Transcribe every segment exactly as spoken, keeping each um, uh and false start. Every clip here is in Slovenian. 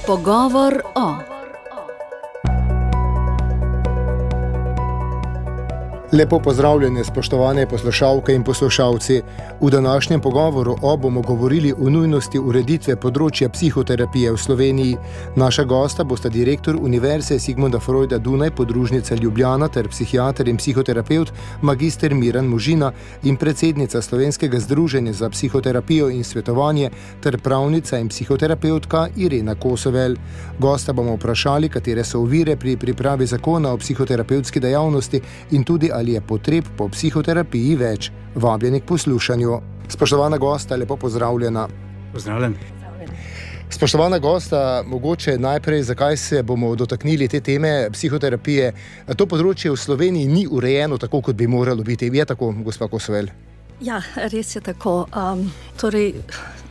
Pogovor o. Lepo pozdravljene, spoštovane poslušalke in poslušalci. V današnjem pogovoru o bomo govorili o nujnosti ureditve področja psihoterapije v Sloveniji. Naša gosta bosta direktor Univerze Sigmunda Freuda Dunaj, podružnica Ljubljana ter psihiater in psihoterapevt magister Miran Možina in predsednica Slovenskega združenja za psihoterapijo in svetovanje ter pravnica in psihoterapevtka Irena Kosovel. Gosta bomo vprašali, katere so ovire pri pripravi zakona o psihoterapevtski dejavnosti in tudi ali je potreb po psihoterapiji več. Vabljeni k poslušanju. Spoštovana gosta, lepo pozdravljena. Pozdravljen. Spoštovana gosta, mogoče najprej, zakaj se bomo dotaknili te teme psihoterapije. To področje v Sloveniji ni urejeno tako, kot bi moralo biti. Je tako, gospa Kosovel? Ja, res je tako. Um, torej,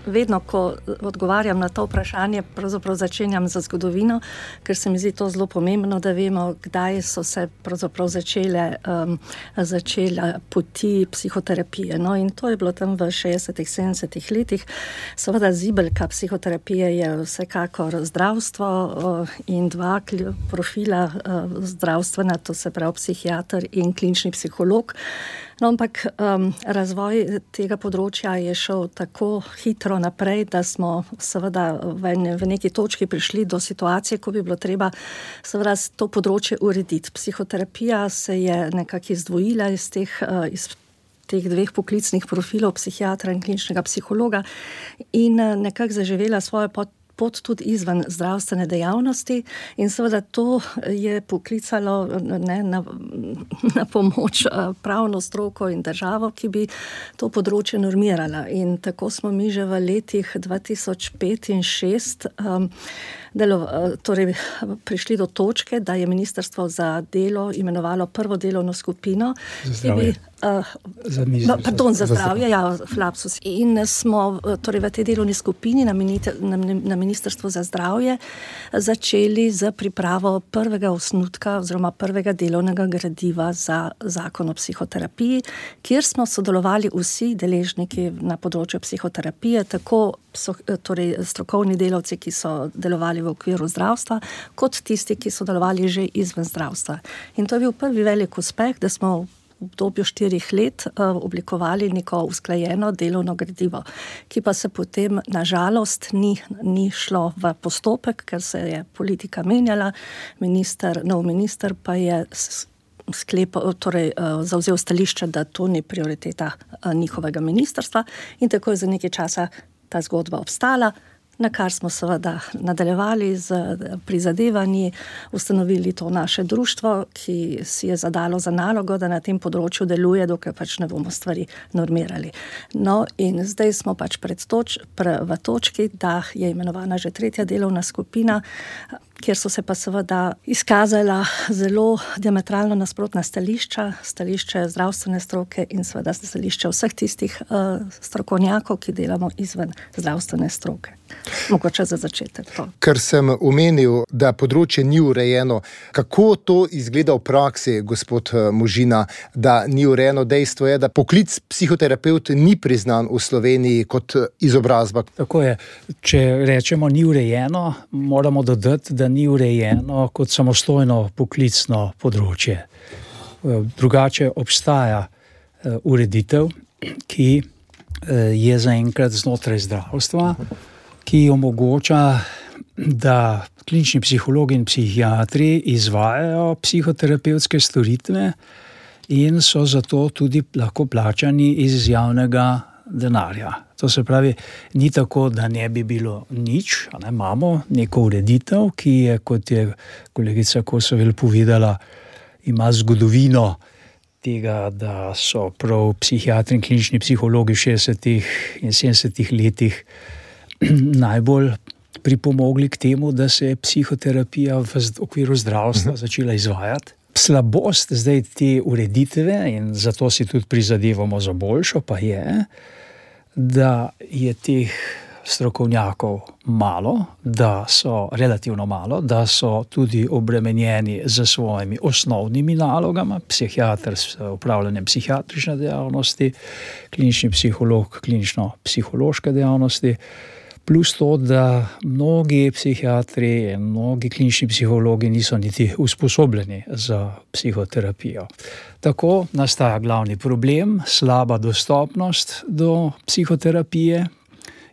vedno, ko odgovarjam na to vprašanje, pravzaprav začenjam za zgodovino, ker se mi zdi to zelo pomembno, da vemo, kdaj so se pravzaprav začele, um, začele poti psihoterapije. No, in to je bilo tam v šestdesetih, sedemdesetih letih. Seveda zibelka psihoterapije je vsekakor zdravstvo uh, in dva profila uh, zdravstvena, to se pravi psihiater in klinični psiholog. No, ampak um, razvoj tega področja je šel tako hitro naprej, da smo seveda v, ne, v neki točki prišli do situacije, ko bi bilo treba seveda to področje urediti. Psihoterapija se je nekako izdvojila iz teh, uh, iz teh dveh poklicnih profilov, psihiatra in kliničnega psihologa, in uh, nekako zaživela svojo pot pot tudi izven zdravstvene dejavnosti in seveda to je poklicalo ne, na, na pomoč pravno stroko in državo, ki bi to področje normirala. In tako smo mi že v letih dva tisoč pet in šest um, delo, torej, prišli do točke, da je Ministrstvo za delo imenovalo prvo delovno skupino, ki bi Uh, no, pardon, za zdravje, ja, flapsus. In smo torej v tej delovni skupini na, minite, na, na Ministrstvu za zdravje začeli z pripravo prvega osnutka oziroma prvega delovnega gradiva za zakon o psihoterapiji, kjer smo sodelovali vsi deležniki na področju psihoterapije, tako so, torej, strokovni delavci, ki so delovali v okviru zdravstva, kot tisti, ki so delovali že izven zdravstva. In to je bil prvi velik uspeh, da smo v obdobju štirih let uh, oblikovali neko usklajeno delovno gradivo, ki pa se potem na žalost ni, ni šlo v postopek, ker se je politika menjala, minister, nov minister pa je sklepal, torej uh, zavzel stališče, da to ni prioriteta uh, njihovega ministrstva, in tako je za nekaj časa ta zgodba obstala, na kar smo seveda nadaljevali z prizadevanji, ustanovili to naše društvo, ki si je zadalo za nalogo, da na tem področju deluje, dokaj pač ne bomo stvari normirali. No, in zdaj smo pač pred toč, pre, v točki, da je imenovana že tretja delovna skupina, kjer so se pa seveda izkazala zelo diametralno nasprotna stališča, stališče zdravstvene stroke in seveda stališče vseh tistih uh, strokovnjakov, ki delamo izven zdravstvene stroke. Mogoče za začetek to. Ker sem omenil, da področje ni urejeno, kako to izgleda v praksi, gospod Možina, da ni urejeno? Dejstvo je, da poklic psihoterapevt ni priznan v Sloveniji kot izobrazba. Tako je. Če rečemo ni urejeno, moramo dodati, da ni urejeno kot samostojno poklicno področje. Drugače obstaja ureditev, ki je zaenkrat znotraj zdravstva, ki omogoča, da klinični psihologi in psihiatri izvajajo psihoterapevtske storitve in so zato tudi lahko plačani iz javnega denarja. To se pravi, ni tako, da ne bi bilo nič, ne, imamo neko ureditev, ki je, kot je kolegica Kosovel povedala, ima zgodovino tega, da so prav psihiatri in klinični psihologi v šestdesetih in sedemdesetih letih najbolj pripomogli k temu, da se je psihoterapija v okviru zdravstva začela izvajati. Slabost zdaj te ureditve, in zato si tudi prizadevamo za boljšo, pa je, da je teh strokovnjakov malo, da so relativno malo, da so tudi obremenjeni z svojimi osnovnimi nalogami, psihiater s upravljanjem psihiatrične dejavnosti, klinični psiholog, klinično-psihološke dejavnosti. Plus to, da mnogi psihiatri in mnogi klinični psihologi niso niti usposobljeni za psihoterapijo. Tako nastaja glavni problem, slaba dostopnost do psihoterapije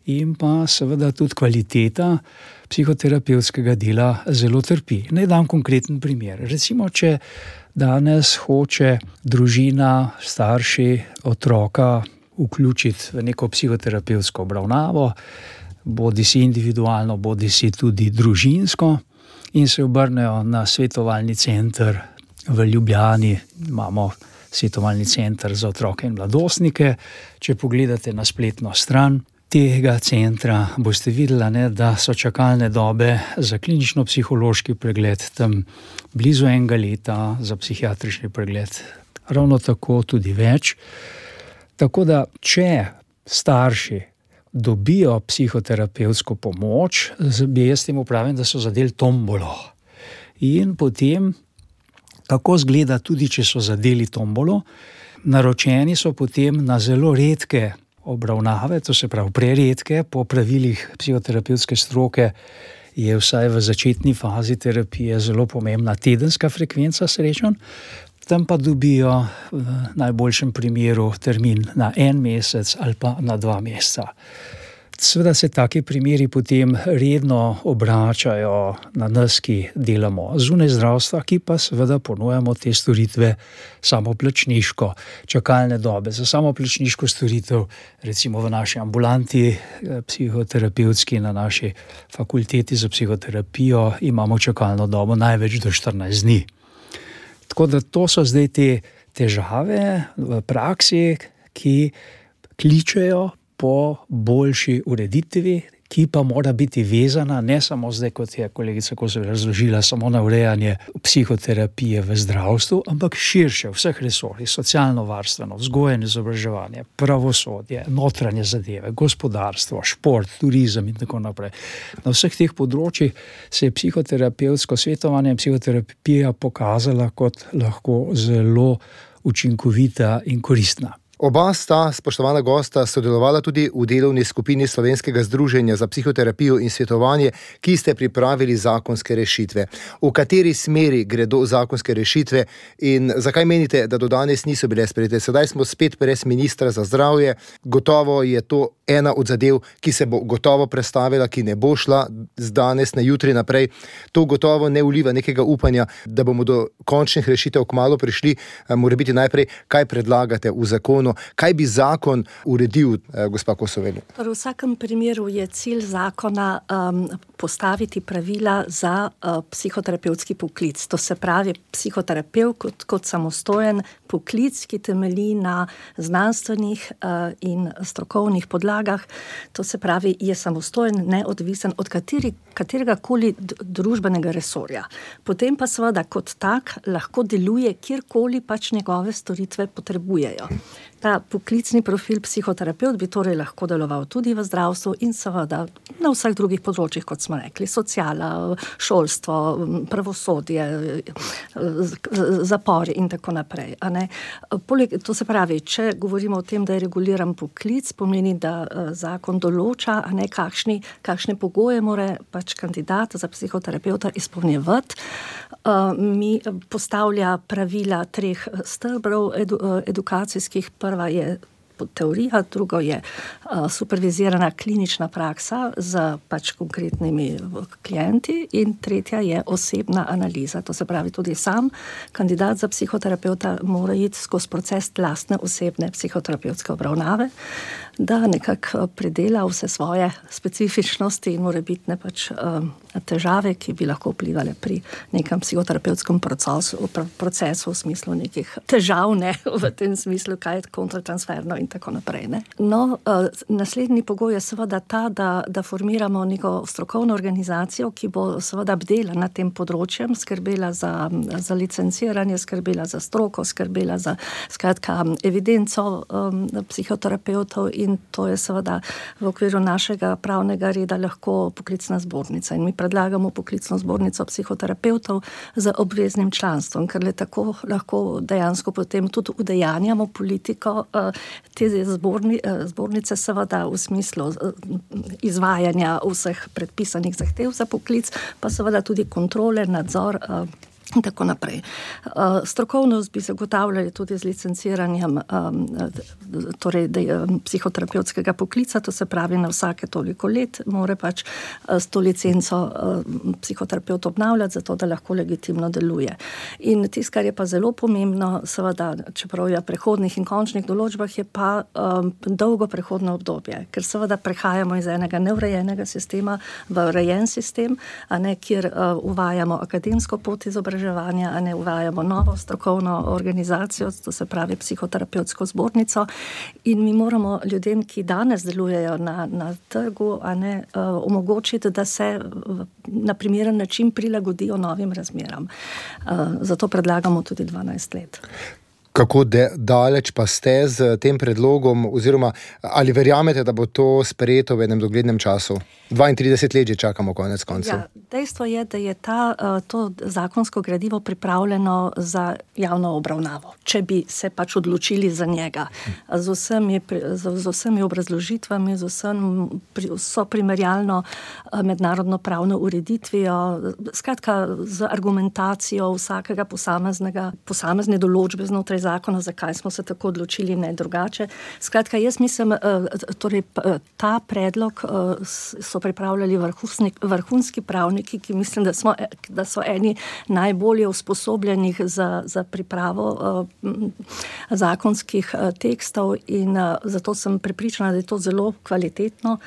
in pa seveda tudi kvaliteta psihoterapevtskega dela zelo trpi. Naj dam konkreten primer. Recimo, če danes hoče družina, starši, otroka vključiti v neko psihoterapevtsko obravnavo, bodi si individualno, bodi si tudi družinsko, in se obrnejo na svetovalni center v Ljubljani. Imamo svetovalni center za otroke in mladostnike. Če pogledate na spletno stran tega centra, boste videli, ne, da so čakalne dobe za klinično-psihološki pregled tam blizu enega leta, za psihiatrični pregled ravno tako, tudi več. Tako da, če starši dobijo psihoterapevtsko pomoč, bi jaz temu pravim, da so zadeli tombolo. In potem, kako zgleda, tudi če so zadeli tombolo, naročeni so potem na zelo redke obravnave, to se pravi preredke, po pravilih psihoterapevtske stroke je vsaj v začetni fazi terapije zelo pomembna tedenska frekvenca srečanj, tam pa dobijo v najboljšem primeru termin na en mesec ali pa na dva meseca. Seveda se taki primeri potem redno obračajo na nas, ki delamo zunaj zdravstva, ki pa seveda ponujamo te storitve samoplačniško. Čakalne dobe za samoplačniško storitev, recimo v naši ambulanti psihoterapevtski na naši fakulteti za psihoterapijo, imamo čakalno dobo največ do štirinajst dni. Tako da to so zdaj te težave v praksi, ki kličejo po boljši ureditvi, ki pa mora biti vezana ne samo zdaj, kot je kolegica Kosor razložila, samo na urejanje psihoterapije v zdravstvu, ampak širše, vseh resorjih, socialno varstveno, vzgoje in izobraževanje, pravosodje, notranje zadeve, gospodarstvo, šport, turizem in tako naprej. Na vseh teh področjih se je psihoterapevtsko svetovanje in psihoterapija pokazala kot lahko zelo učinkovita in koristna. Oba sta, spoštovana gosta, sodelovala tudi v delovni skupini Slovenskega združenja za psihoterapijo in svetovanje, ki ste pripravili zakonske rešitve. V kateri smeri gredo zakonske rešitve in zakaj menite, da do danes niso bile sprejete? Sedaj smo spet brez ministra za zdravje. Gotovo je to ena od zadev, ki se bo gotovo prestavila, ki ne bo šla z danes na jutri naprej. To gotovo ne vliva nekega upanja, da bomo do končnih rešitev kmalu prišli. Mora biti najprej, kaj predlagate v zakonu? Kaj bi zakon uredil, gospa Kosovel? V vsakem primeru je cilj zakona um, postaviti pravila za uh, psihoterapevtski poklic. To se pravi, psihoterapevt kot, kot samostojen poklic, ki temelji na znanstvenih uh, in strokovnih podlagah. To se pravi, je samostojen, neodvisen od kateri, katerega koli družbenega resorja. Potem pa seveda kot tak lahko deluje, kjerkoli pač njegove storitve potrebujejo. Ta poklicni profil psihoterapevt bi torej lahko deloval tudi v zdravstvu in seveda na vseh drugih področjih, kot smo rekli, sociala, šolstvo, pravosodje, zapori in tako naprej. A ne? Poleg, to se pravi, če govorimo o tem, da je reguliran poklic, pomeni, da zakon določa, a ne, kakšni, kakšne pogoje mora pač kandidat za psihoterapevta izpolnjevati. Mi postavlja pravila treh stebrov edu, edukacijskih. Prva je teorija, drugo je uh, supervizirana klinična praksa z pač konkretnimi klienti in tretja je osebna analiza. To se pravi, tudi sam kandidat za psihoterapeuta mora iti skozi proces lastne osebne psihoterapevtske obravnave, da nekako predela vse svoje specifičnosti in morebitne pač uh, težave, ki bi lahko vplivali pri nekem psihoterapevtskem procesu, procesu v smislu nekih težav, ne, v tem smislu, kaj je kontratransferno in tako naprej. Ne. No, uh, naslednji pogoj je seveda ta, da, da formiramo neko strokovno organizacijo, ki bo seveda bdela nad tem področjem, skrbela za, za licenciranje, skrbela za stroko, skrbela za skratka evidenco um, psihoterapevtov in in to je seveda v okviru našega pravnega reda lahko poklicna zbornica. In mi predlagamo poklicno zbornico psihoterapevtov z obveznim članstvom, ker le tako lahko dejansko potem tudi udejanjamo politiko te zborni, zbornice seveda v smislu izvajanja vseh predpisanih zahtev za poklic, pa seveda tudi kontrole, nadzor in tako naprej. Strokovnost bi zagotavljali tudi z licenciranjem torej psihoterapevtskega poklica, to se pravi na vsake toliko let more pač s to licenco psihoterapeut obnavljati, zato da lahko legitimno deluje. In tisto, kar je pa zelo pomembno, seveda, čeprav je prehodnih in končnih določbah, je pa dolgo prehodno obdobje, ker seveda prehajamo iz enega neurejenega sistema v urejen sistem, a ne, kjer uvajamo akademsko pot izobraževanja, a ne uvajamo novo strokovno organizacijo, to se pravi psihoterapevtsko zbornico, in mi moramo ljudem, ki danes delujejo na, na trgu, a ne, uh, omogočiti, da se na primeren način prilagodijo novim razmeram. Uh, zato predlagamo tudi dvanajst let. Kako de, daleč pa ste z tem predlogom, oziroma ali verjamete, da bo to sprejeto v enem doglednem času? dvaintrideset let že čakamo konec koncev. Ja, dejstvo je, da je ta, to zakonsko gradivo pripravljeno za javno obravnavo, če bi se pač odločili za njega. Z vsemi, z vsemi obrazložitvami, z vsem, so primerjalno mednarodno pravno ureditvijo, skratka z argumentacijo vsakega posameznega, posamezne določbe znotraj zakona, zakaj smo se tako odločili, ne drugače. Skratka, jaz mislim, torej ta predlog so pripravljali vrhunski, vrhunski pravniki, ki mislim, da, smo, da so eni najbolje usposobljenih za, za pripravo uh, zakonskih uh, tekstov in uh, zato sem prepričana, da je to zelo kvalitetno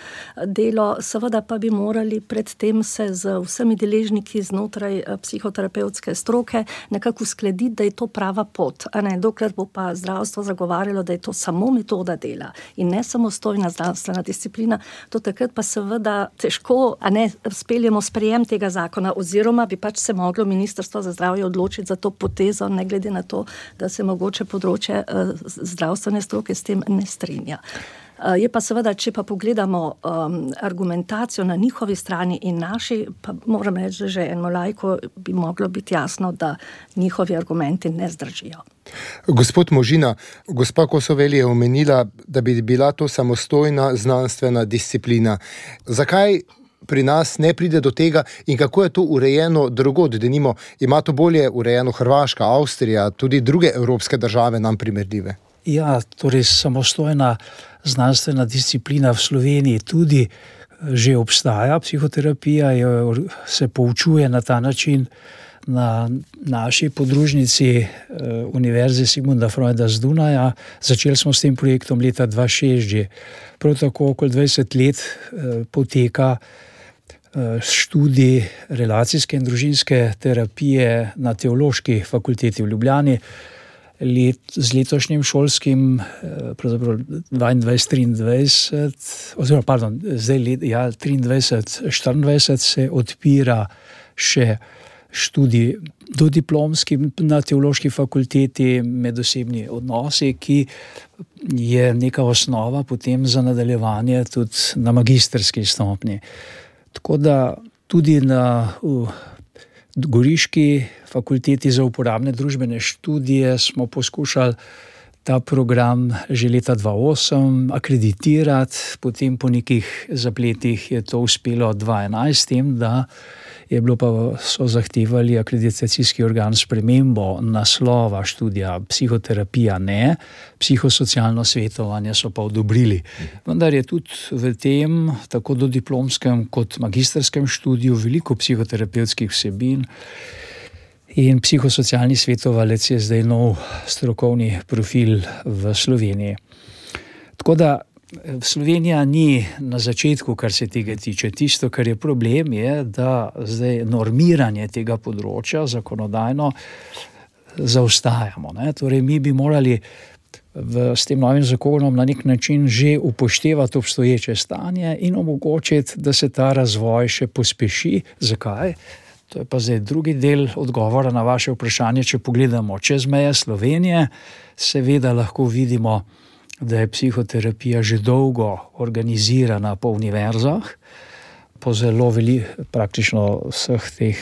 delo. Seveda pa bi morali predtem se z vsemi deležniki znotraj uh, psihoterapevtske stroke nekako uskladiti, da je to prava pot. A ne, dokler bo pa zdravstvo zagovarjalo, da je to samo metoda dela in ne samostojna zdravstvena disciplina, to takrat pa seveda težko, a ne, speljemo sprejem tega zakona, oziroma bi pač se moglo Ministrstvo za zdravje odločiti za to potezo, ne glede na to, da se mogoče področje uh, zdravstvene stroke s tem ne strinja. Uh, je pa seveda, če pa pogledamo um, argumentacijo na njihovi strani in naši, pa moram reči, že eno lajko bi moglo biti jasno, da njihovi argumenti ne zdržijo. Gospod Možina, gospa Kosovel je omenila, da bi bila to samostojna znanstvena disciplina. Zakaj pri nas ne pride do tega in kako je to urejeno drugod? Denimo, ima to bolje urejeno Hrvaška, Avstrija, tudi druge evropske države nam primerljive? Ja, torej samostojna znanstvena disciplina v Sloveniji tudi že obstaja. Psihoterapija je, se poučuje na ta način na naši podružnici Univerze Sigmunda Freuda z Dunaja. Začeli smo s tem projektom leta dva tisoč šest že. Prav tako okoli dvajset let poteka študij relacijske in družinske terapije na Teološki fakulteti v Ljubljani. Let, z letošnjim šolskim, pravzaprav dvaindvajset triindvajset, oziroma, pardon, zdaj let, ja, triindvajset štiriindvajset se odpira še študij dodiplomski na Teološki fakulteti medosebni odnosi, ki je neka osnova potem za nadaljevanje tudi na magistrski stopnji. Tako da tudi na uh, Goriški fakulteti za uporabne družbene študije smo poskušali ta program že leta dva tisoč osem akreditirati, potem po nekih zapletih je to uspelo dva tisoč enajst, tem, da je bilo pa, so zahtevali akreditacijski organ spremembo naslova študija, psihoterapija ne, psihosocialno svetovanje so pa odobrili. Vendar je tudi v tem, tako do diplomskem kot magistrskem študiju, veliko psihoterapevtskih vsebin in psihosocialni svetovalec je zdaj nov strokovni profil v Sloveniji. Tako da Slovenija ni na začetku, kar se tega tiče. Tisto, kar je problem, je, da zdaj normiranje tega področja zakonodajno zaostajamo. Ne? Torej, mi bi morali v, s tem novim zakonom na nek način že upoštevati obstoječe stanje in omogočiti, da se ta razvoj še pospeši. Zakaj? To je pa zdaj drugi del odgovora na vaše vprašanje. Če pogledamo čez meje Slovenije, seveda lahko vidimo da je psihoterapija že dolgo organizirana po univerzah, po zelo veli, praktično vseh teh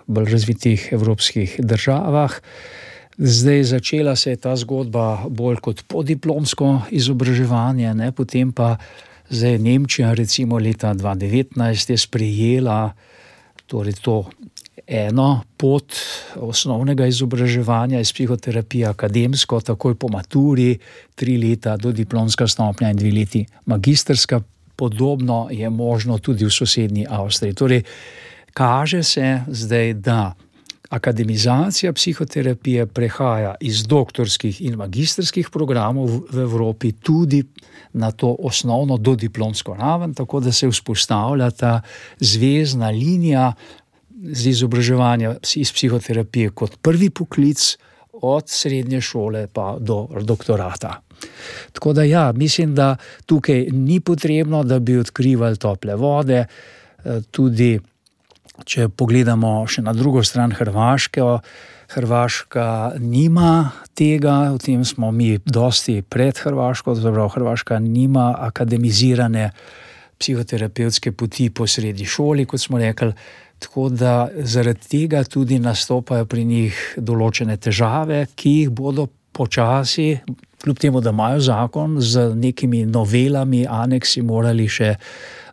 bolj razvitih evropskih državah. Zdaj začela se je ta zgodba bolj kot podiplomsko izobraževanje, ne? Potem pa zdaj Nemčija recimo leta dva tisoč devetnajst je sprejela torej to eno pot osnovnega izobraževanja iz psihoterapije akademsko, takoj po maturi, tri leta do diplomska stopnja in dve leti magistrska. Podobno je možno tudi v sosednji Avstriji. Torej, kaže se zdaj, da akademizacija psihoterapije prehaja iz doktorskih in magistrskih programov v Evropi tudi na to osnovno dodiplomsko raven, tako da se vzpostavlja ta zvezna linija z izobraževanja iz psihoterapije kot prvi poklic od srednje šole pa do doktorata. Tako da ja, mislim, da tukaj ni potrebno, da bi odkrivali tople vode, tudi če pogledamo še na drugo stran Hrvaške, Hrvaška nima tega, v tem smo mi dosti pred Hrvaško, zapravo Hrvaška nima akademizirane psihoterapevtske poti po srednji šoli, kot smo rekli, tako da zaradi tega tudi nastopajo pri njih določene težave, ki jih bodo počasi, kljub temu, da imajo zakon, z nekimi novelami, aneksi morali še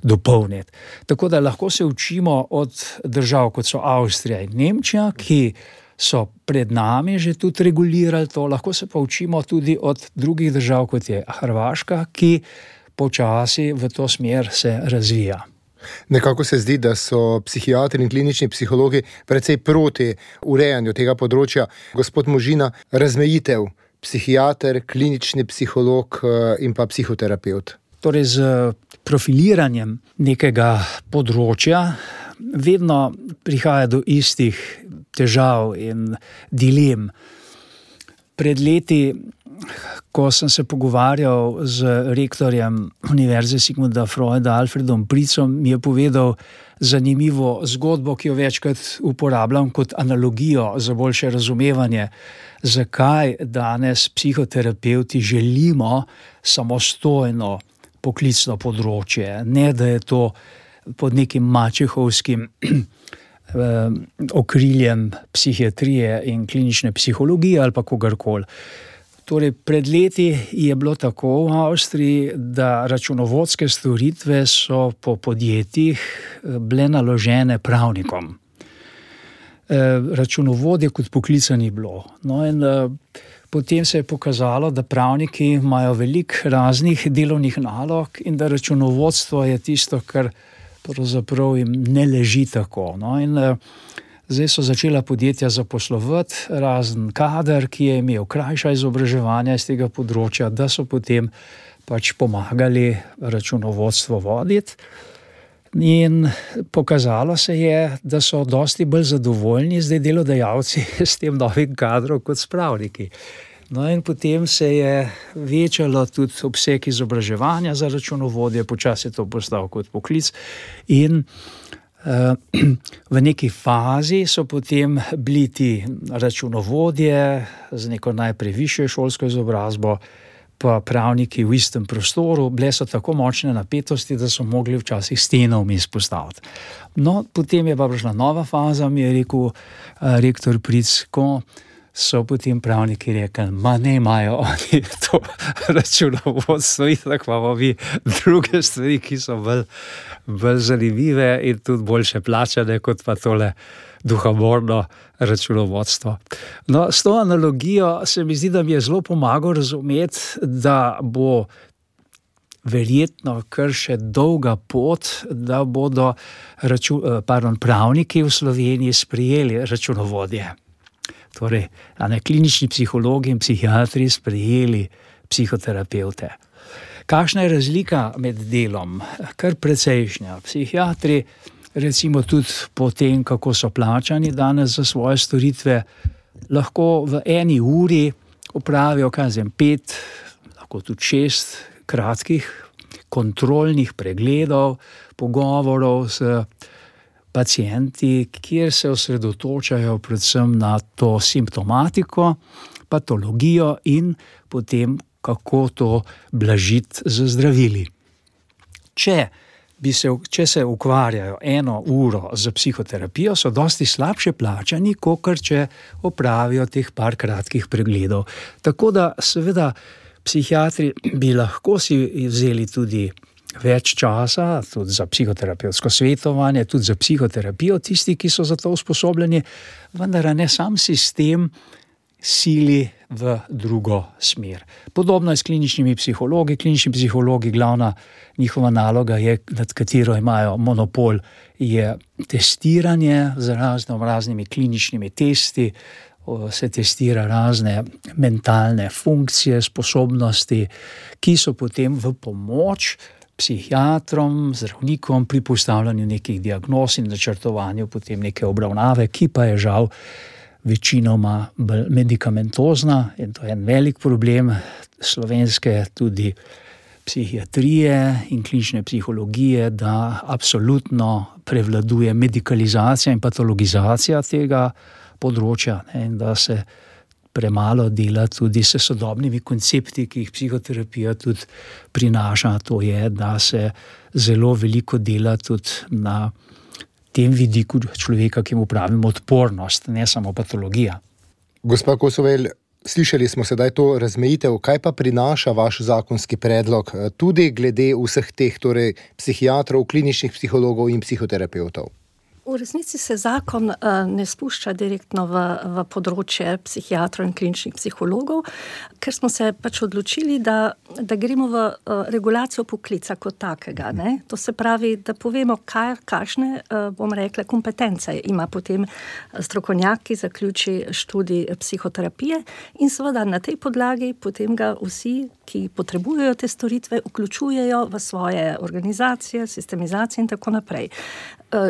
dopolniti. Tako da lahko se učimo od držav, kot so Avstrija in Nemčija, ki so pred nami že tudi regulirali to, lahko se pa učimo tudi od drugih držav, kot je Hrvaška, ki počasi v to smer se razvija. Nekako se zdi, da so psihiatri in klinični psihologi precej proti urejanju tega področja. Gospod Možina, razmejitev psihiater, klinični psiholog in pa psihoterapevt. Torej z profiliranjem nekega področja vedno prihaja do istih težav in dilem. Pred leti, ko sem se pogovarjal z rektorjem Univerze Sigmunda Freuda, Alfredom Pritzom, mi je povedal zanimivo zgodbo, ki jo večkrat uporabljam kot analogijo za boljše razumevanje, zakaj danes psihoterapevti želimo samostojno poklicno področje, ne da je to pod nekim mačehovskim okriljem psihiatrije in klinične psihologije ali pa kogarkoli. Torej, pred leti je bilo tako v Avstriji, da računovodske storitve so po podjetjih bile naložene pravnikom. Računovodje kot poklica ni bilo. No in potem se je pokazalo, da pravniki imajo veliko raznih delovnih nalog in da računovodstvo je tisto, kar pravzaprav jim ne leži tako. No in zdaj so začela podjetja zaposlovati razen kader, ki je imel krajša izobraževanja iz tega področja, da so potem pač pomagali računovodstvo voditi. In pokazalo se je, da so dosti bolj zadovoljni zdaj delodajalci s tem novim kadrom kot s pravniki. No in potem se je večalo tudi obseg izobraževanja za računovodje, počasi je to postal kot poklic in uh, v neki fazi so potem bili ti računovodje z neko najprej višjo šolsko izobrazbo, pa pravniki v istem prostoru, bile so tako močne napetosti, da so mogli včasih steno vmes postaviti. No, potem je pa prišla nova faza, mi je rekel uh, rektor Pritz, ko so potem pravniki rekli, ma ne imajo oni to računovodstvo, in tako imamo mi druge stvari, ki so bolj, bolj zanimive in tudi boljše plačane, kot pa tole duhamorno računovodstvo. No, s to analogijo se mi zdi, da mi je zelo pomagal razumeti, da bo verjetno kar še dolga pot, da bodo raču, pardon, pravniki v Sloveniji sprejeli računovodje. Torej, a ne klinični psihologi in psihiatri sprejeli psihoterapevte. Kakšna je razlika med delom? Kar precejšnja. Psihiatri, recimo tudi po tem, kako so plačani danes za svoje storitve, lahko v eni uri opravijo, kaj zem, pet, lahko tudi šest kratkih kontrolnih pregledov, pogovorov s pacienti, kjer se osredotočajo predvsem na to simptomatiko, patologijo in potem kako to blažiti z zdravili. Če, bi se, če se ukvarjajo eno uro z psihoterapijo, so dosti slabše plačani, kakor če opravijo teh par kratkih pregledov. Tako da seveda psihiatri bi lahko si vzeli tudi več časa, tudi za psihoterapevtsko svetovanje, tudi za psihoterapijo, tisti, ki so za to usposobljeni, vendar ne sam sistem sili v drugo smer. Podobno je s kliničnimi psihologi. Klinični psihologi, glavna njihova naloga je, nad katero imajo monopol, je testiranje z razno raznimi kliničnimi testi, se testira razne mentalne funkcije, sposobnosti, ki so potem v pomoč psihiatrom, zdravnikom pri postavljanju nekih diagnoz in načrtovanju potem neke obravnave, ki pa je žal večinoma medikamentozna, in to je en velik problem slovenske tudi psihiatrije in klinične psihologije, da absolutno prevladuje medikalizacija in patologizacija tega področja, ne, in da se premalo dela tudi s sodobnimi koncepti, ki jih psihoterapija tudi prinaša. To je, da se zelo veliko dela tudi na tem vidiku človeka, ki mu pravimo odpornost, ne samo patologija. Gospa Kosovel, slišali smo sedaj to razmejitev, kaj pa prinaša vaš zakonski predlog, tudi glede vseh teh, torej psihiatrov, kliničnih psihologov in psihoterapevtov? V resnici se zakon uh, ne spušča direktno v, v področje psihiatrov in kliničnih psihologov, ker smo se pač odločili, da, da gremo v uh, regulacijo poklica kot takega. Ne? To se pravi, da povemo, kaj, kakšne, uh, bom rekla, kompetence ima potem strokovnjak, ki zaključi študij psihoterapije, in seveda na tej podlagi potem ga vsi, ki potrebujejo te storitve, vključujejo v svoje organizacije, sistemizacije in tako naprej.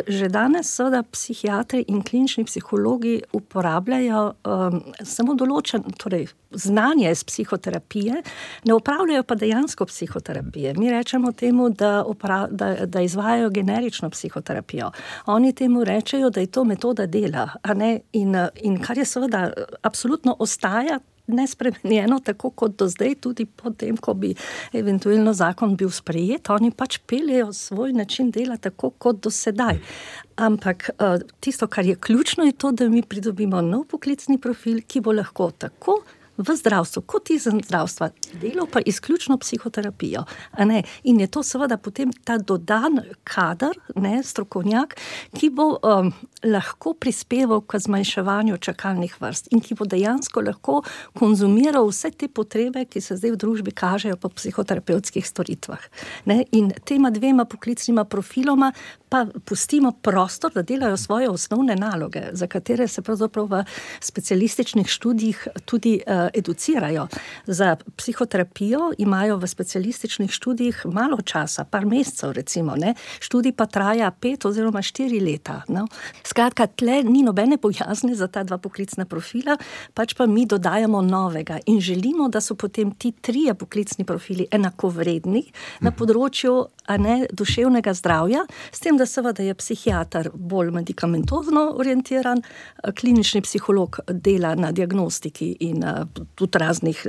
Že danes seveda psihiatri in klinični psihologi uporabljajo um, samo določen, torej znanje iz psihoterapije, ne upravljajo pa dejansko psihoterapije. Mi rečemo temu, da, opra, da, da izvajajo generično psihoterapijo. Oni temu rečejo, da je to metoda dela, a ne? In, in kar je seveda absolutno ostaja nespremenjeno, tako kot do zdaj, tudi potem, ko bi eventualno zakon bil sprejet, oni pač peljejo svoj način dela tako kot do sedaj. Ampak tisto, kar je ključno, je to, da mi pridobimo nov poklicni profil, ki bo lahko tako v zdravstvu, kot izven zdravstva, delal pa izključno psihoterapijo. A ne? In je to seveda potem ta dodan kader, ne, strokovnjak, ki bo um, lahko prispeval k zmanjševanju čakalnih vrst in ki bo dejansko lahko konzumiral vse te potrebe, ki se zdaj v družbi kažejo po psihoterapevtskih storitvah. Ne? In tema dvema poklicnima profiloma pa pustimo prostor, da delajo svoje osnovne naloge, za katere se pravzaprav v specialističnih študijih tudi uh, educirajo. Za psihoterapijo imajo v specialističnih študijih malo časa, par mesecev recimo, ne? Študij pa traja pet oziroma štiri leta. No? Skratka, tle ni nobene bojazne za ta dva poklicna profila, pač pa mi dodajamo novega in želimo, da so potem ti trije poklicni profili enakovredni na področju, a ne, duševnega zdravja, s tem, da seveda je psihiater bolj medikamentozno orientiran, klinični psiholog dela na diagnostiki in tudi raznih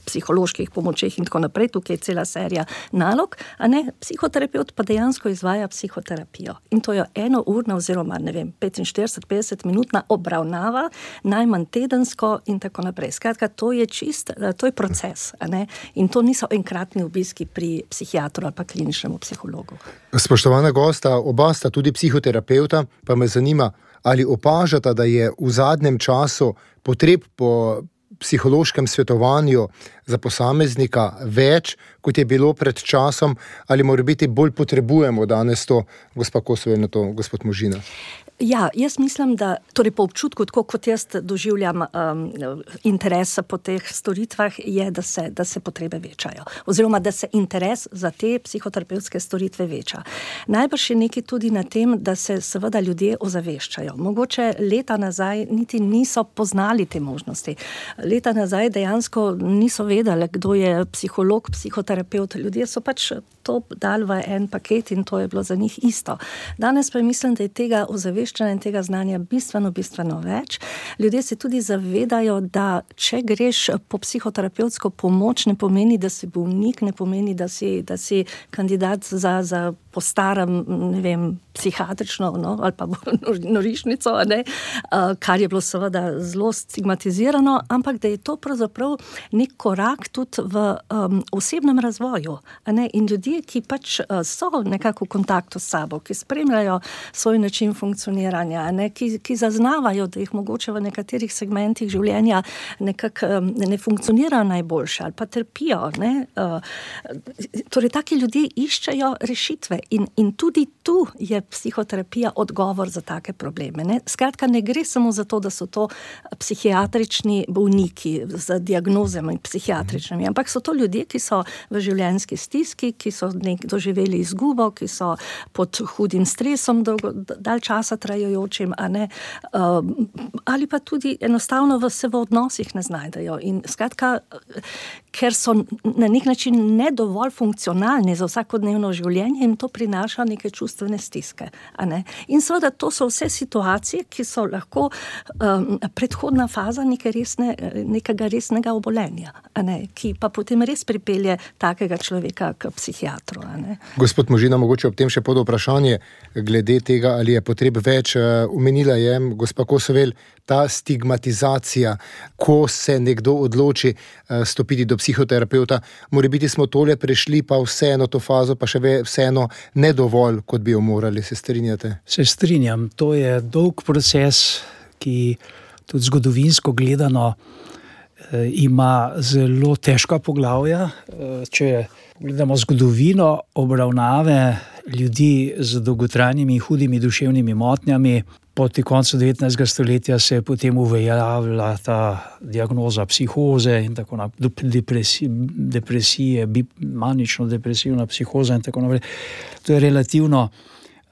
psiholoških pomočeh in tako naprej, tukaj je cela serija nalog, a ne, psihoterapeut pa dejansko izvaja psihoterapijo. In to je enourna oziroma, ne vem, petinštirideset do petdeset minutna obravnava, najmanj tedensko in tako naprej. Skratka, to je čist, to je proces, a ne, in to niso enkratni obiski pri psihiatru ali pa kliničnemu psihologu. Spoštovana gosta, oba sta tudi psihoterapeuta, pa me zanima, ali opažata, da je v zadnjem času potreb po psihološkem svetovanju za posameznika več, kot je bilo pred časom, ali morebiti bolj potrebujemo danes to, gospa Kosovel, na to, gospod Možina? Ja, jaz mislim, da, torej po občutku, tako kot jaz doživljam um, interes po teh storitvah, je, da se, da se potrebe večajo. Oziroma, da se interes za te psihoterapevtske storitve veča. Najbrž je nekaj tudi na tem, da se seveda ljudje ozaveščajo. Mogoče leta nazaj niti niso poznali te možnosti. Leta nazaj dejansko niso vedeli, kdo je psiholog, psihoterapeut. Ljudje so pač to dali v en paket in to je bilo za njih isto. Danes pa mislim, da je tega ozaveščanja in tega znanja bistveno, bistveno več. Ljudje se tudi zavedajo, da če greš po psihoterapevtsko pomoč, ne pomeni, da si bolnik, ne pomeni, da si, da si kandidat za, za po starem, ne vem, psihiatrično, no, ali pa norišnico, ne, kar je bilo seveda zelo stigmatizirano, ampak da je to pravzaprav nek korak tudi v um, osebnem razvoju. Ne, in ljudje, ki pač so nekako v kontaktu s sabo, ki spremljajo svoj način funkcioniranja, ne, ki, ki zaznavajo, da jih mogoče v nekaterih segmentih življenja nekako um, ne funkcionirajo najboljše ali pa trpijo. Ne, uh, torej, taki ljudje iščejo rešitve. In, in tudi tu je psihoterapija odgovor za take probleme. Ne? Skratka, ne gre samo za to, da so to psihiatrični bolniki z diagnozami psihiatričnimi, ampak so to ljudje, ki so v življenjski stiski, ki so nek doživeli izgubo, ki so pod hudim stresom, dolgo, dalj časa trajajočim, a ne, uh, ali pa tudi enostavno v, se v odnosih ne znajdejo. In skratka, ker so na nek način ne dovolj funkcionalni za vsakodnevno življenje, jim to prinaša neke čustvene stiske. A ne? In seveda to so vse situacije, ki so lahko um, predhodna faza neke resne, nekega resnega obolenja, a ne? Ki pa potem res pripelje takega človeka k psihiatru. A ne? Gospod Možina, mogoče ob tem še pod vprašanje glede tega, ali je potreb več. Umenila je gospa Kosovel, ta stigmatizacija, ko se nekdo odloči stopiti do psihoterapeuta. Morebiti smo tole prešli, pa vseeno to fazo, pa še vseeno ne dovolj, kot bi jo morali. Se strinjate? Se strinjam. To je dolg proces, ki tudi zgodovinsko gledano eh, ima zelo težka poglavja. Eh, če gledamo zgodovino obravnave ljudi z dolgotrajnimi hudimi duševnimi motnjami, proti koncu devetnajstega stoletja se je potem uveljavila ta diagnoza psihoze in tako naprej, depresije, depresije, manično-depresivna psihoza in tako naprej. To je relativno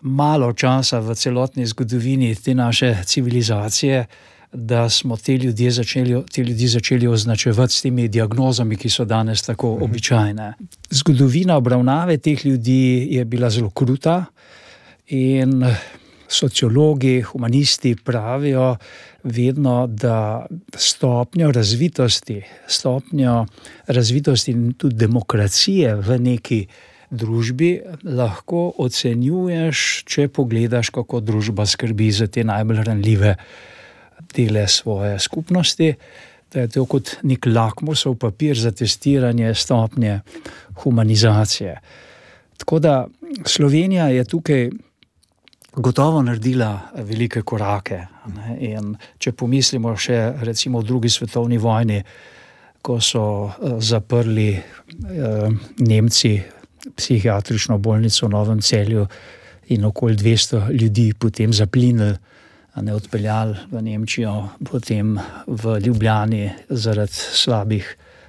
malo časa v celotni zgodovini te naše civilizacije, da smo te ljudje začeli, te ljudi začeli označevati s temi diagnozami, ki so danes tako običajne. Zgodovina obravnave teh ljudi je bila zelo kruta in sociologi, humanisti pravijo vedno, da stopnjo razvitosti, stopnjo razvitosti in tudi demokracije v neki družbi lahko ocenjuješ, če pogledaš, kako družba skrbi za te najbolj ranljive dele svoje skupnosti. Da je to kot nek lakmusov papir za testiranje stopnje humanizacije. Tako da Slovenija je tukaj gotovo naredila velike korake. Ne? In če pomislimo še recimo v drugi svetovni vojni, ko so uh, zaprli uh, Nemci psihiatrično bolnico v Novem Celju in okoli dvesto ljudi potem zaplinili, ne odpeljali v Nemčijo, potem v Ljubljani zaradi slabih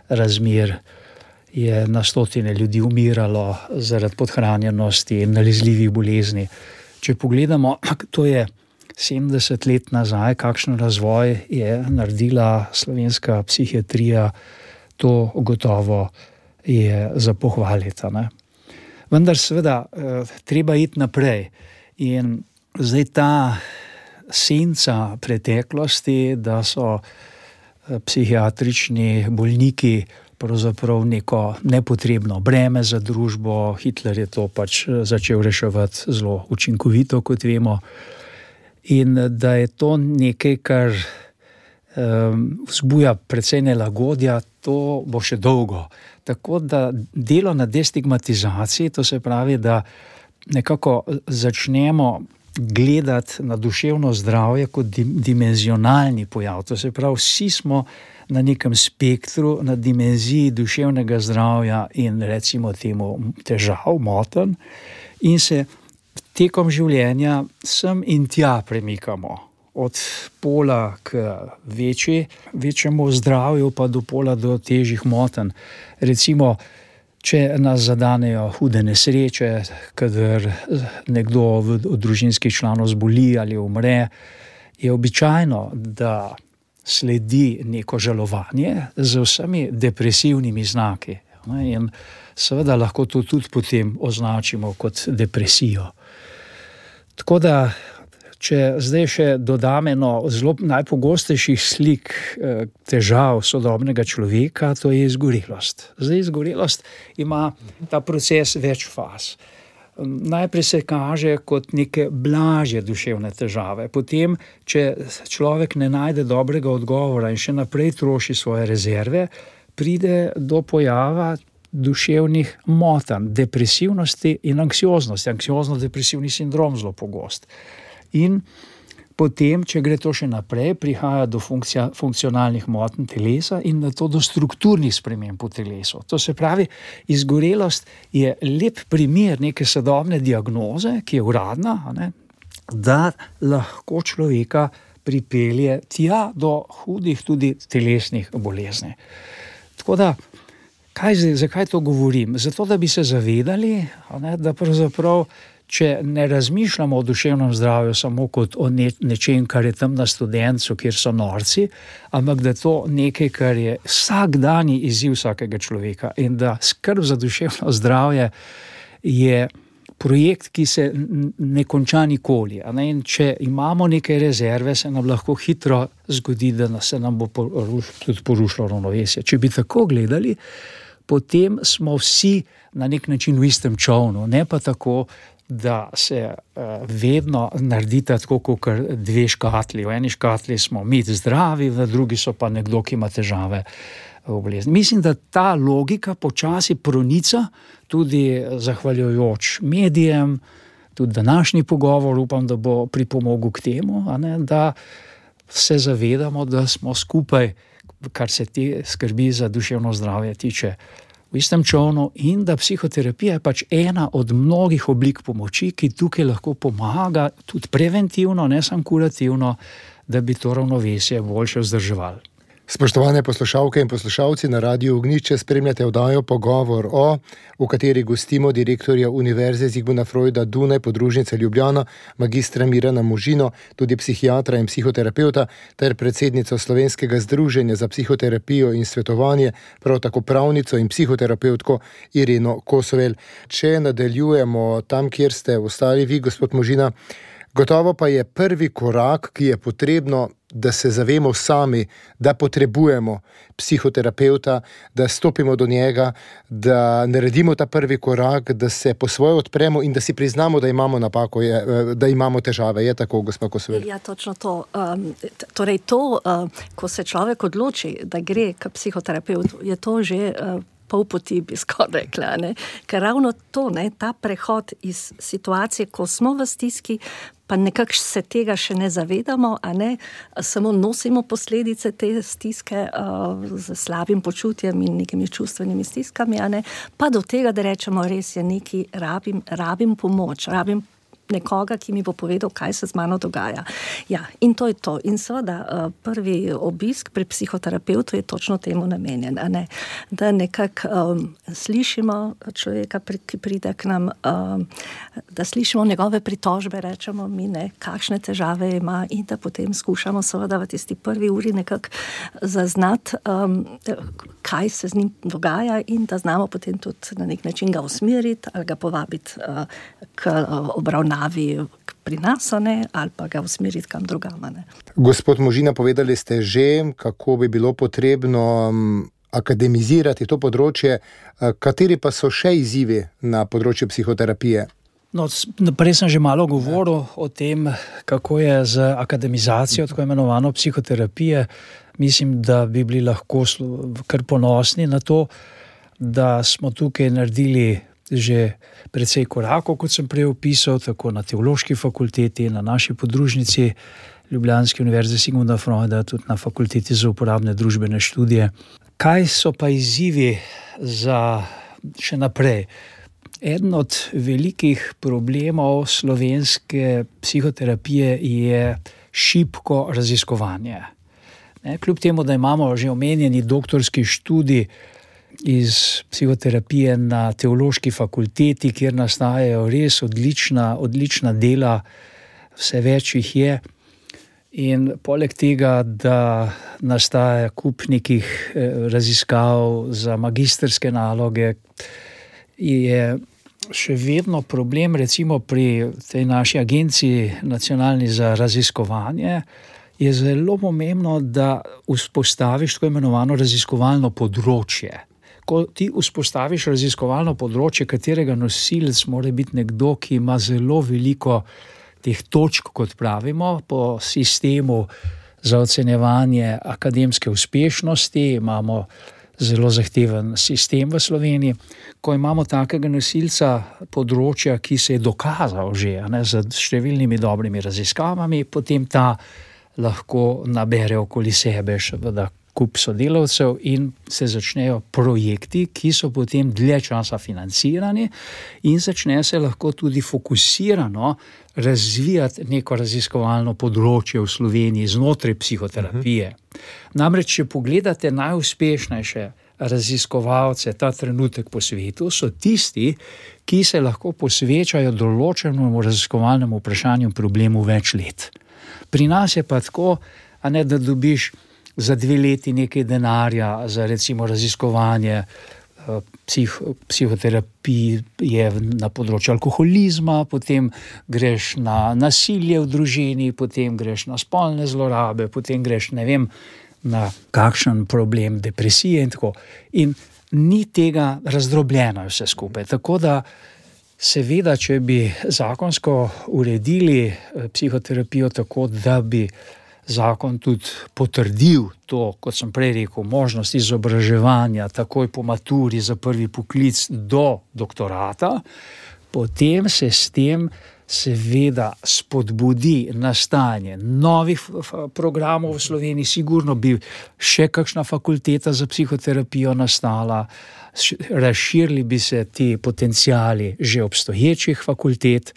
razmer je na stotine ljudi umiralo zaradi podhranjenosti in nalezljivih bolezni. Če pogledamo, to je sedemdeset let nazaj, kakšen razvoj je naredila slovenska psihiatrija, to gotovo je za pohvaliti. Ne? Vendar seveda treba iti naprej. In zdaj ta senca preteklosti, da so psihiatrični bolniki pravzaprav neko nepotrebno breme za družbo. Hitler je to pač začel reševati zelo učinkovito, kot vemo. In da je to nekaj, kar um, vzbuja precej nelagodja, to bo še dolgo. Tako da delo na destigmatizaciji, to se pravi, da nekako začnemo gledati na duševno zdravje kot dimenzionalni pojav. To se pravi, vsi smo na nekem spektru, na dimenziji duševnega zdravja in recimo temu težav, motenj, in se tekom življenja sem in tja premikamo. Od pola k večji, večjemu zdravju, pa do pola do težjih motenj. Recimo, če nas zadanejo hude nesreče, kadar nekdo od družinskih članov zboli ali umre, je običajno, da sledi neko žalovanje z vsemi depresivnimi znaki. In seveda lahko to tudi potem označimo kot depresijo. Tako da, če zdaj še dodam eno zelo najpogostejših slik težav sodobnega človeka, to je izgorelost. Zdaj, izgorelost ima ta proces več faz. Najprej se kaže kot neke blažje duševne težave. Potem, če človek ne najde dobrega odgovora in še naprej troši svoje rezerve, pride do pojava duševnih motanj, depresivnosti in anksioznosti. Anksiozno-depresivni sindrom zelo pogost. In potem, če gre to še naprej, prihaja do funkcija, funkcionalnih motenj telesa in nato do strukturnih sprememb v telesu. To se pravi, izgorelost je lep primer neke sodobne diagnoze, ki je uradna, ne, da lahko človeka pripelje tja do hudih tudi telesnih bolezni. Tako da, kaj zdaj, zakaj to govorim? Zato, da bi se zavedali, ne, da pravzaprav če ne razmišljamo o duševnem zdravju samo kot o ne, nečem, kar je tam na Studencu, kjer so norci, ampak da to nekaj, kar je vsakdanji izziv vsakega človeka in da skrb za duševno zdravje je projekt, ki se ne konča nikoli. Ne? In če imamo neke rezerve, se nam lahko hitro zgodi, da se nam bo poruš, tudi porušilo ravnovesje. Če bi tako gledali, potem smo vsi na nek način v istem čovnu, ne pa tako, da se uh, vedno naredita tako kot dve škatli. V eni škatli smo mi zdravi, v drugi so pa nekdo, ki ima težave v bolezni. Mislim, da ta logika počasi pronica tudi zahvaljujoč medijem, tudi današnji pogovor, upam, da bo pripomogel k temu, a ne, da se zavedamo, da smo skupaj, kar se te skrbi za duševno zdravje tiče, v istem čovnu in da psihoterapija je pač ena od mnogih oblik pomoči, ki tukaj lahko pomaga tudi preventivno, ne samo kurativno, da bi to ravnovesje boljše vzdrževali. Spoštovane poslušalke in poslušalci, na Radiu Ognjišče spremljate oddajo Pogovor o, v kateri gostimo direktorja Univerze Zigmunda Freuda Dunaj, podružnice Ljubljana, magistra Mirana Možino, tudi psihiatra in psihoterapeuta, ter predsednico Slovenskega združenja za psihoterapijo in svetovanje, prav tako pravnico in psihoterapeutko Ireno Kosovel. Če nadaljujemo tam, kjer ste ostali vi, gospod Možina, gotovo pa je prvi korak, ki je potrebno, da se zavemo sami, da potrebujemo psihoterapeuta, da stopimo do njega, da naredimo ta prvi korak, da se po svoje odpremo in da si priznamo, da imamo napako, da imamo težave. Je tako, gospa Kosovel? Ja, točno to. Um, torej to, uh, ko se človek odloči, da gre k psihoterapeutu, je to že uh, pol poti, bi skoraj rekla, ne? Ker ravno to, ne, ta prehod iz situacije, ko smo v stiski, pa nekako se tega še ne zavedamo, a ne, samo nosimo posledice te stiske uh, z slabim počutjem in nekimi čustvenimi stiskami, a ne, pa do tega, da rečemo, res je nekaj, rabim, rabim pomoč, rabim nekoga, ki mi bo povedal, kaj se z mano dogaja. Ja, in to je to. In seveda prvi obisk pri psihoterapeutu je točno temu namenjen, a ne? Da nekako um, slišimo človeka, ki pride k nam, um, da slišimo njegove pritožbe, rečemo mi, ne, kakšne težave ima in da potem skušamo seveda v tisti prvi uri nekako zaznati, um, kaj se z njim dogaja in da znamo potem tudi na nek način ga usmeriti ali ga povabiti uh, k uh, obravnavi pri nas, ne, ali pa ga usmeriti kam drugam. Ne. Gospod Možina, povedali ste že, kako bi bilo potrebno akademizirati to področje. Kateri pa so še izzivi na področju psihoterapije? No, prej sem že malo govoril o tem, kako je z akademizacijo tako imenovano psihoterapije. Mislim, da bi bili lahko kar ponosni na to, da smo tukaj naredili že precej korakov, kot sem prej opisal, tako na Teološki fakulteti, na naši podružnici Ljubljanske univerze Zigmunda Freuda, tudi na fakulteti za uporabne družbene študije. Kaj so pa izzivi za še naprej? Eden od velikih problemov slovenske psihoterapije je šibko raziskovanje. Ne, kljub temu, da imamo že omenjeni doktorski študij iz psihoterapije na Teološki fakulteti, kjer nastajajo res odlična, odlična dela, vse več jih je, In poleg tega, da nastaja kup nekih raziskav za magistrske naloge, je še vedno problem, recimo pri tej naši agenciji nacionalni za raziskovanje, je zelo pomembno, da vzpostaviš tako imenovano raziskovalno področje. Ko ti vzpostaviš raziskovalno področje, katerega nosilec mora biti nekdo, ki ima zelo veliko teh točk, kot pravimo, po sistemu za ocenjevanje akademske uspešnosti, imamo zelo zahteven sistem v Sloveniji. Ko imamo takega nosilca področja, ki se je dokazal že ne, z številnimi dobrimi raziskavami, potem ta lahko nabere okoli sebe še vda kup sodelavcev in se začnejo projekti, ki so potem dlje časa financirani in začne se lahko tudi fokusirano razvijati neko raziskovalno področje v Sloveniji znotraj psihoterapije. Namreč, če pogledate najuspešnejše raziskovalce ta trenutek po svetu, so tisti, ki se lahko posvečajo določenemu raziskovalnemu vprašanju problemu več let. Pri nas je pa tako, a ne, da dobiš za dve leti nekaj denarja za recimo raziskovanje psih, psihoterapije na področju alkoholizma, potem greš na nasilje v družini, potem greš na spolne zlorabe, potem greš, ne vem, na kakšen problem depresije in tako. In ni tega razdrobljeno vse skupaj. Tako da seveda, če bi zakonsko uredili psihoterapijo tako, da bi zakon tudi potrdil to, kot sem prej rekel, možnost izobraževanja takoj po maturi za prvi poklic do doktorata, potem se s tem seveda spodbudi nastajanje novih programov v Sloveniji, sigurno bi še kakšna fakulteta za psihoterapijo nastala, razširili bi se ti potenciali že obstoječih fakultet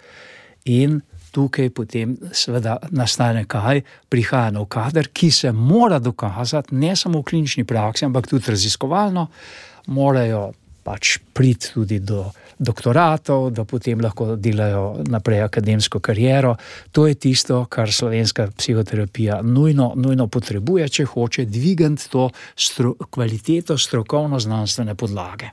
in tukaj potem seveda nastane kaj? Prihaja nov kader, ki se mora dokazati ne samo v klinični praksi, ampak tudi raziskovalno, morajo pač priti tudi do doktoratov, da potem lahko delajo naprej akademsko kariero. To je tisto, kar slovenska psihoterapija nujno, nujno potrebuje, če hoče dvigati to stro, kvaliteto strokovno-znanstvene podlage.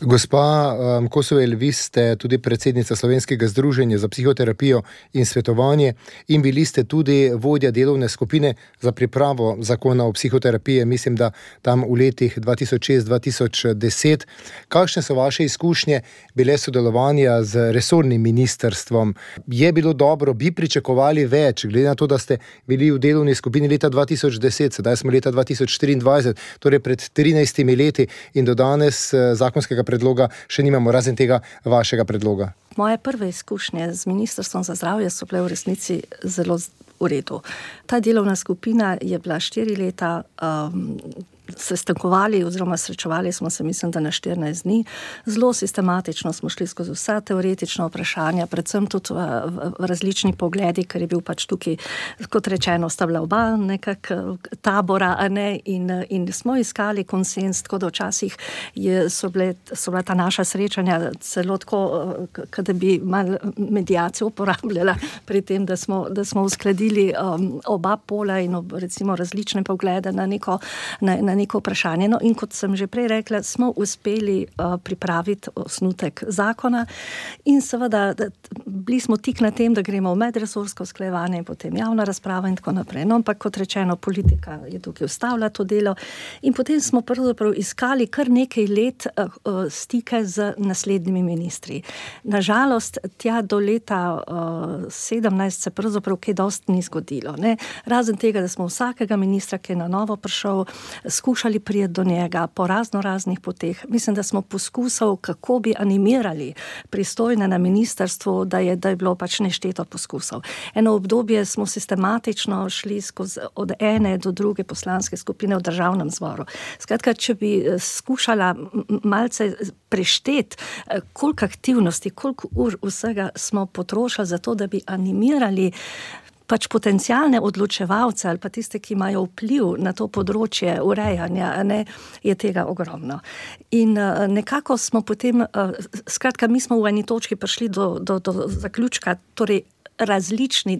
Gospa um, Kosovel, vi ste tudi predsednica Slovenskega združenja za psihoterapijo in svetovanje in bili ste tudi vodja delovne skupine za pripravo zakona o psihoterapiji, mislim, da tam v letih dva tisoč šest do dva tisoč deset. Kakšne so vaše izkušnje bile sodelovanja z resornim ministrstvom? Je bilo dobro, bi pričakovali več, glede na to, da ste bili v delovni skupini leta dva tisoč deset, sedaj smo leta dva tisoč štiriindvajset, torej pred trinajstimi leti in do danes zakon predloga še nimamo, razen tega vašega predloga. Moje prve izkušnje z Ministrstvom za zdravje so bile v resnici zelo v redu. Ta delovna skupina je bila štiri leta, um, sestankovali oziroma srečevali smo se, mislim, da na štirinajst dni. Zelo sistematično smo šli skozi vsa teoretična vprašanja, predvsem tudi v, v, v različni pogledi, ker je bil pač tukaj, kot rečeno, sta bila oba nekak tabora, a ne, in, in smo iskali konsens, tako da včasih je, so, bile, so bila ta naša srečanja celo tako, kada bi malo mediacijo uporabljala pri tem, da smo, da smo uskladili um, oba pola in ob, recimo različne poglede na neko, na, na neko vprašanje. No, in kot sem že prej rekla, smo uspeli uh, pripraviti osnutek zakona in seveda da, bili smo tik na tem, da gremo v medresorsko usklajevanje in potem javna razprava in tako naprej. No, ampak kot rečeno, politika je tukaj ustavila to delo in potem smo pravzaprav iskali kar nekaj let uh, uh, stike z naslednjimi ministri. Nažalost, tja do leta uh, sedemnajst se pravzaprav kaj dosti ni zgodilo. Ne? Razen tega, da smo vsakega ministra, ki je na novo prišel, skušali prijeti do njega po razno raznih poteh. Mislim, da smo poskusali, kako bi animirali pristojne na ministrstvu, da je, da je bilo pač nešteto poskusov. Eno obdobje smo sistematično šli skozi od ene do druge poslanske skupine v državnem zboru. Skratka, če bi skušala malce prešteti, koliko aktivnosti, koliko ur vsega smo potrošili za to, da bi animirali pač potencialne odločevalce ali pa tiste, ki imajo vpliv na to področje urejanja, ne, je tega ogromno. In uh, nekako smo potem, uh, skratka, mi smo v eni točki prišli do, do, do zaključka, torej različni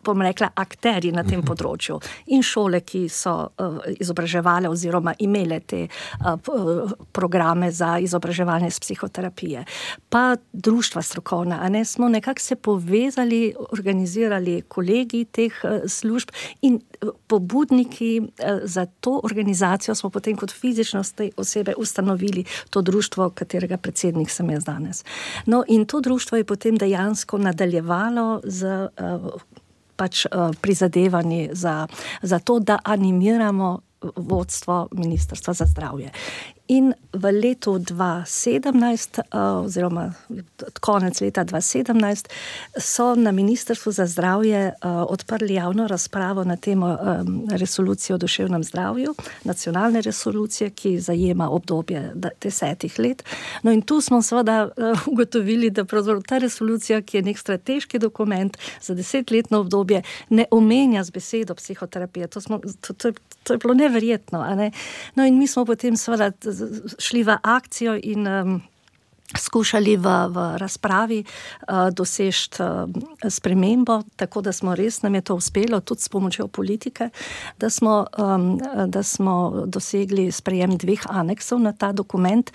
bom rekla, akterji na tem področju in šole, ki so uh, izobraževale oziroma imele te uh, programe za izobraževanje z psihoterapije. Pa društva strokovna, a ne, smo nekako se povezali, organizirali kolegi teh uh, služb in uh, pobudniki uh, za to organizacijo smo potem kot fizičnost te osebe ustanovili to društvo, katerega predsednik sem jaz danes. No, in to društvo je potem dejansko nadaljevalo z uh, pač uh, prizadevanji za, za to, da animiramo vodstvo Ministrstva za zdravje. In v letu dva sedemnajst, oziroma konec leta dva sedemnajst, so na Ministrstvu za zdravje odprli javno razpravo na temo resolucije o duševnem zdravju, nacionalne resolucije, ki zajema obdobje desetih let. No in tu smo seveda ugotovili, da pravzaprav ta resolucija, ki je nek strateški dokument za desetletno obdobje, ne omenja z besedo psihoterapije. To, smo, to, to, to je bilo neverjetno. A ne? No in mi smo potem seveda šli v akcijo in um, skušali v, v razpravi uh, doseči uh, spremembo, tako da smo res, nam je to uspelo, tudi s pomočjo politike, da smo, um, da smo dosegli sprejem dveh aneksov na ta dokument,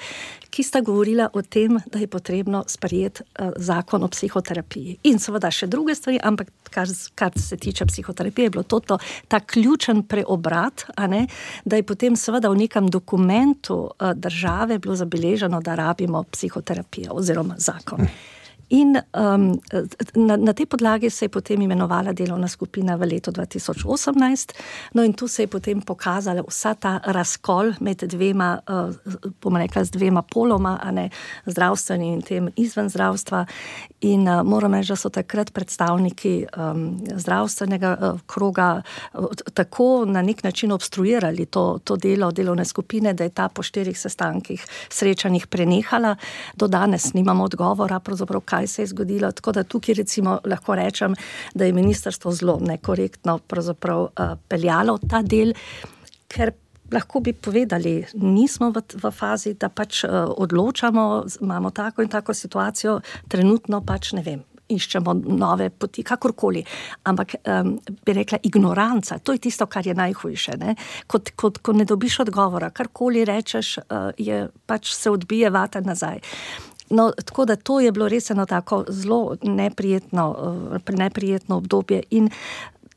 ki sta govorila o tem, da je potrebno sprejeti uh, zakon o psihoterapiji. In seveda še druge stvari, ampak kar, kar se tiče psihoterapije, je bilo to, to ta ključen preobrat, a ne, da je potem seveda v nekem dokumentu uh, države bilo zabeleženo, da rabimo psihoterapijo oziroma zakon. In um, na, na tej podlagi se je potem imenovala delovna skupina v letu dva tisoč osemnajst, no in tu se je potem pokazala vsa ta razkol med dvema, uh, bom rekla, z dvema poloma, a ne, zdravstvenim in tem izven zdravstva. In uh, moram reči, da so takrat predstavniki um, zdravstvenega uh, kroga uh, tako na nek način obstruirali to, to delo delovne skupine, da je ta po štirih sestankih srečanjih prenehala. Do danes nimamo odgovora, pravzaprav kaj se je zgodilo, tako da tukaj recimo lahko rečem, da je ministrstvo zelo nekorektno pravzaprav uh, peljalo ta del, ker lahko bi povedali, nismo v, v fazi, da pač uh, odločamo, imamo tako in tako situacijo, trenutno pač ne vem, iščemo nove poti, kakorkoli. Ampak um, bi rekla, ignoranca, to je tisto, kar je najhujše. Ne? Kot, kot, ko ne dobiš odgovora, karkoli rečeš, uh, je pač se odbije vata nazaj. No, tako da to je bilo res eno tako zelo neprijetno, uh, neprijetno obdobje in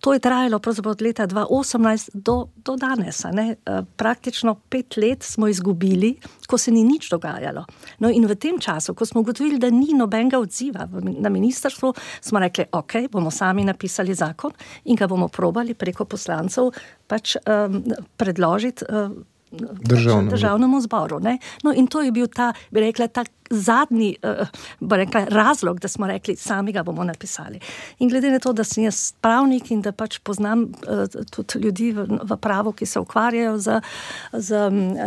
to je trajalo pravzaprav od leta dva osemnajst do, do danes. Ne? Uh, praktično pet let smo izgubili, ko se ni nič dogajalo. No in v tem času, ko smo ugotovili, da ni nobenega odziva na ministrstvu, smo rekli, ok, bomo sami napisali zakon in ga bomo probali preko poslancev pač um, predložiti uh, Državnemu. državnemu zboru. Ne? No in to je bil ta, bi rekla, ta zadnji uh, bi rekla, razlog, da smo rekli, sami ga bomo napisali. In glede na to, da sem jaz pravnik in da pač poznam uh, tudi ljudi v, v pravu, ki se ukvarjajo z, z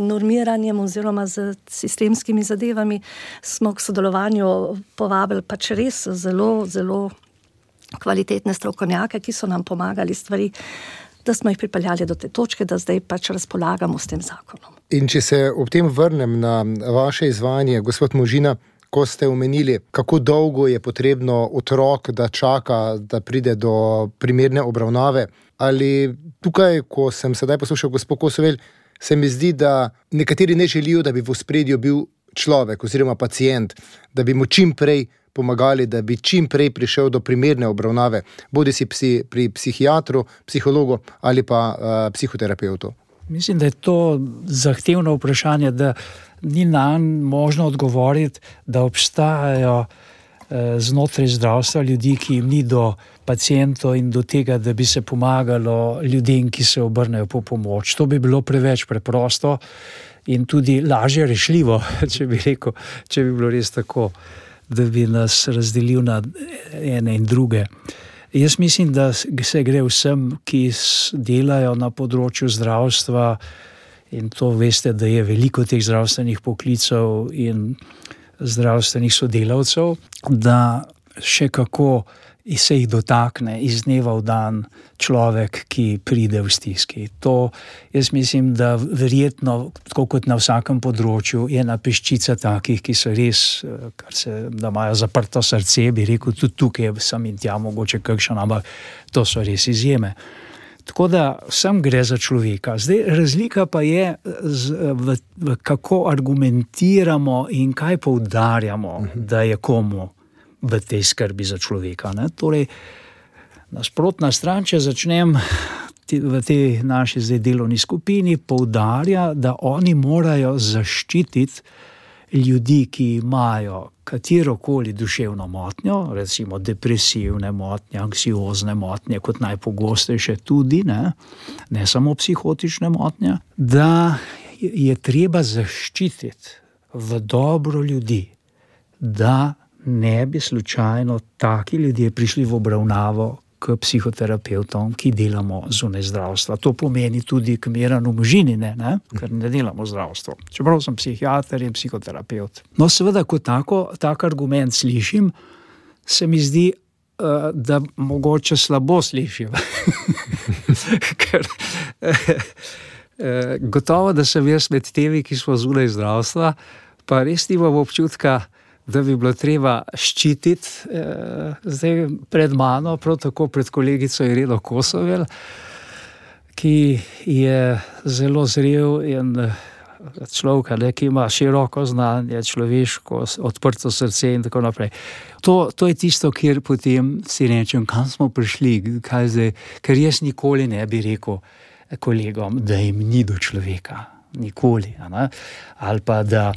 normiranjem oziroma z sistemskimi zadevami, smo k sodelovanju povabili pač res zelo, zelo kvalitetne strokovnjake, ki so nam pomagali stvari, da smo jih pripeljali do te točke, da zdaj pač razpolagamo s tem zakonom. In če se ob tem vrnem na vaše izvajanje, gospod Možina, ko ste omenili, kako dolgo je potrebno otrok, da čaka, da pride do primerne obravnave, ali tukaj, ko sem sedaj poslušal gospod Kosovel, se mi zdi, da nekateri ne želijo, da bi v ospredju bil človek oziroma pacient, da bi mu čim prej pomagali, da bi čim prej prišel do primerne obravnave, bodi si psi, pri psihiatru, psihologu ali pa uh, psihoterapeutu. Mislim, da je to zahtevno vprašanje, da ni nanj možno odgovoriti, da obstajajo uh, znotraj zdravstva ljudi, ki jim ni do pacientov in do tega, da bi se pomagalo ljudem, ki se obrnejo po pomoč. To bi bilo preveč preprosto in tudi lažje rešljivo, če bi rekel, če bi bilo res tako, da bi nas razdelil na ene in druge. Jaz mislim, da se gre vsem, ki delajo na področju zdravstva, in to veste, da je veliko teh zdravstvenih poklicev in zdravstvenih sodelavcev, da še kako se jih dotakne iz dneva v dan človek, ki pride v stiski. To, jaz mislim, da verjetno, tako kot na vsakem področju, je ena peščica takih, ki so res, kar se, da imajo zaprto srce, bi rekel, tudi tukaj sem in tja mogoče kakšen, ampak to so res izjeme. Tako da vsem gre za človeka. Zdaj, razlika pa je, z, v, v kako argumentiramo in kaj poudarjamo, uh-huh. da je komu v tej skrbi za človeka. Ne? Torej, nasprotna stran, če začnem v tej naši zdaj delovni skupini, poudarja, da oni morajo zaščititi ljudi, ki imajo katerokoli duševno motnjo, recimo depresivne motnje, anksiozne motnje, kot najpogostejše tudi, ne, ne samo psihotične motnje, da je treba zaščititi v dobro ljudi, da ne bi slučajno taki ljudje prišli v obravnavo k psihoterapevtom, ki delamo zunaj zdravstva. To pomeni tudi k Miranu Možinine, ne? Ker ne delamo zdravstvo. Čeprav sem psihiater in psihoterapeut. No, seveda, ko tako, tak argument slišim, se mi zdi, uh, da mogoče slabo slišim. Ker uh, gotovo, da sem jaz med temi, ki smo zunaj zdravstva, pa res nimam občutka, da bi bilo treba ščititi eh, zdaj pred mano, prav tako pred kolegico Ireno Kosovel, ki je zelo zrel in človek, ne, ki ima široko znanje, človeško, odprto srce in tako naprej. To, to je tisto, kjer potem si rečem, kam smo prišli, kaj zdaj, ker jaz nikoli ne bi rekel kolegom, da jim ni do človeka. Nikoli. Ne? Ali pa da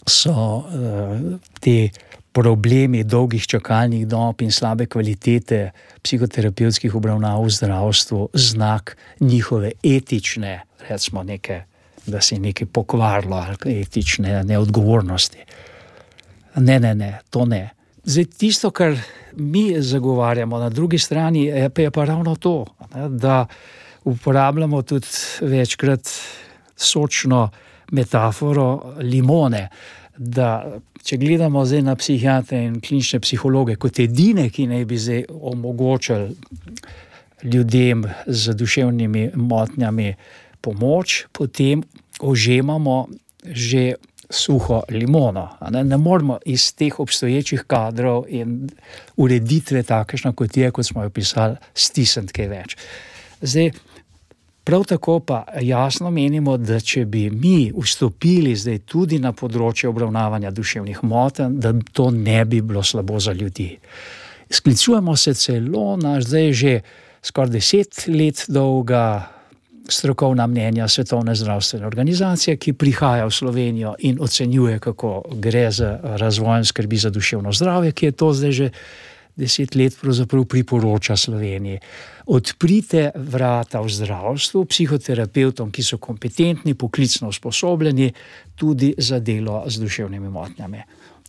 so uh, te problemi dolgih čakalnih dob in slabe kvalitete psihoterapevtskih obravnav v zdravstvu znak njihove etične, recimo neke, da se je nekaj pokvarilo, ali etične neodgovornosti. Ne, ne, ne, to ne. Zdaj, tisto, kar mi zagovarjamo na drugi strani, je pa, je pa ravno to, ne, da uporabljamo tudi večkrat sočno metaforo limone, da če gledamo zdaj na psihiatre in klinične psihologe kot edine, ki naj bi zdaj omogočili ljudem z duševnimi motnjami pomoč, potem ožemamo že suho limono. Ne, ne moramo iz teh obstoječih kadrov in ureditve takšna, kot je, kot smo jo pisali, stisniti kaj več. Zdaj, prav tako pa jasno menimo, da če bi mi vstopili zdaj tudi na področje obravnavanja duševnih motenj, da to ne bi bilo slabo za ljudi. Sklicujemo se celo na zdaj že skoraj deset let dolga strokovna mnenja Svetovne zdravstvene organizacije, ki prihaja v Slovenijo in ocenjuje, kako gre za razvoj in skrbi za duševno zdravje, ki je to zdaj že deset let pravzaprav priporoča Sloveniji. Odprite vrata v zdravstvu psihoterapevtom, ki so kompetentni, poklicno usposobljeni tudi za delo z duševnimi motnjami.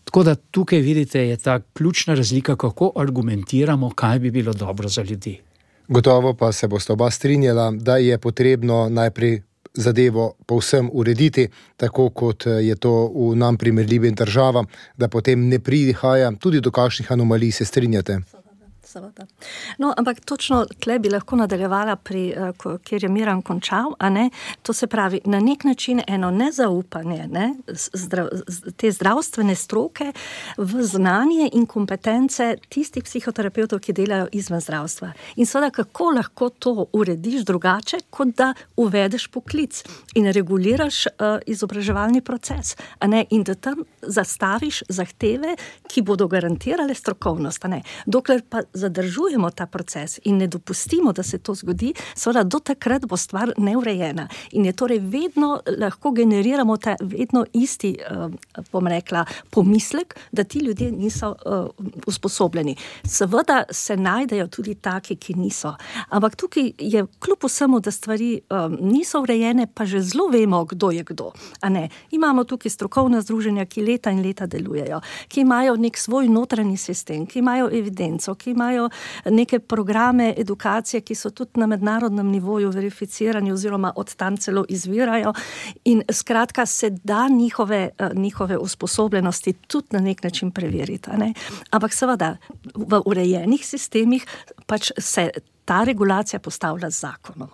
Tako da tukaj vidite, je ta ključna razlika, kako argumentiramo, kaj bi bilo dobro za ljudi. Gotovo pa se boste oba strinjala, da je potrebno najprej zadevo povsem urediti, tako kot je to v nam primerljivim državam, da potem ne prihaja tudi do kakšnih anomalij, se strinjate? Seveda. No, ampak točno tle bi lahko nadaljevala, pri, kjer je Miran končal, a ne, to se pravi, na nek način eno nezaupanje, ne, zdrav, te zdravstvene stroke v znanje in kompetence tistih psihoterapevtov, ki delajo izven zdravstva. In seveda, kako lahko to urediš drugače, kot da uvedeš poklic in reguliraš uh, izobraževalni proces, a ne, in da tam zastaviš zahteve, ki bodo garantirale strokovnost, a ne. Dokler pa zadržujemo ta proces in ne dopustimo, da se to zgodi, seveda do takrat bo stvar neurejena. In je torej vedno lahko generiramo ta vedno isti, bom rekla, pomislek, da ti ljudje niso uh, usposobljeni. Seveda se najdejo tudi taki, ki niso. Ampak tukaj je kljub vsemu, da stvari um, niso urejene, pa že zelo vemo, kdo je kdo. A ne? Imamo tukaj strokovna združenja, ki leta in leta delujejo, ki imajo nek svoj notranji sistem, ki imajo evidenco, ki imajo imajo neke programe edukacije, ki so tudi na mednarodnem nivoju verificirani oziroma od tam celo izvirajo in skratka se da njihove, njihove usposobljenosti tudi na nek način preveriti. Ne? Ampak seveda v urejenih sistemih pač se ta regulacija postavlja z zakonom.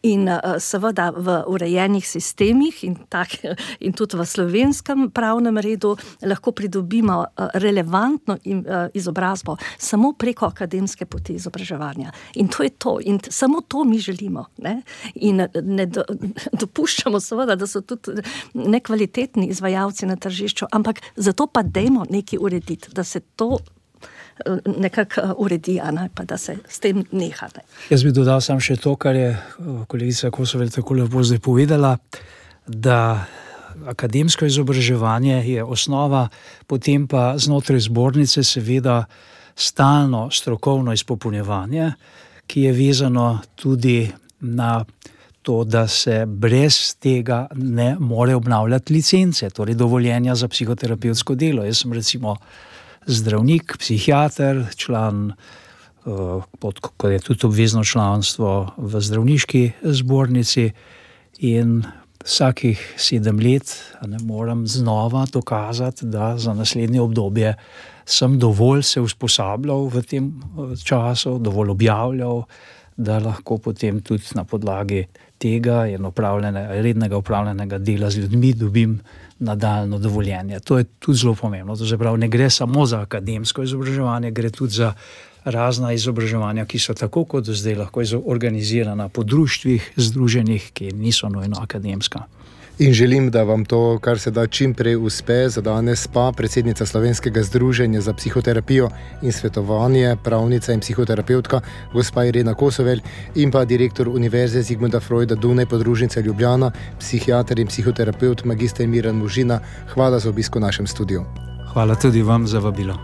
In uh, seveda v urejenih sistemih in, tak, in tudi v slovenskem pravnem redu lahko pridobimo uh, relevantno in, uh, izobrazbo samo preko akademske poti izobraževanja. In to je to. In t- samo to mi želimo. Ne? In ne do, dopuščamo seveda, da so tudi nekvalitetni izvajalci na tržišču, ampak zato pa dajmo nekaj urediti, da se to nekako uredi, ne, pa da se s tem neha. Ne. Jaz bi dodal sam še to, kar je kolegica Kosovel tako lepo zdaj povedala, da akademsko izobraževanje je osnova, potem pa znotraj zbornice seveda stalno strokovno izpopolnjevanje, ki je vezano tudi na to, da se brez tega ne more obnavljati licence, torej dovoljenja za psihoterapevtsko delo. Jaz sem recimo zdravnik, psihiater, član, pod, kot je tudi obvezno članstvo v zdravniški zbornici in vsakih sedem let ne moram znova dokazati, da za naslednje obdobje sem dovolj se usposabljal v tem času, dovolj objavljal, da lahko potem tudi na podlagi tega in rednega upravljenega dela z ljudmi dobim nadaljno dovoljenje. To je tudi zelo pomembno. To se pravi, ne gre samo za akademsko izobraževanje, gre tudi za razna izobraževanja, ki so tako kot zdaj lahko organizirana po društvih, združenih, ki niso nujno akademska. In želim, da vam to, kar se da čim prej uspe. Za danes pa predsednica Slovenskega združenja za psihoterapijo in svetovanje, pravnica in psihoterapeutka, gospa Irena Kosovel, in pa direktor Univerze Zigmunda Freuda Dunaj podružnice Ljubljana, psihiater in psihoterapeut magister Miran Možina. Hvala za obisk v našem studiu. Hvala tudi vam za vabilo.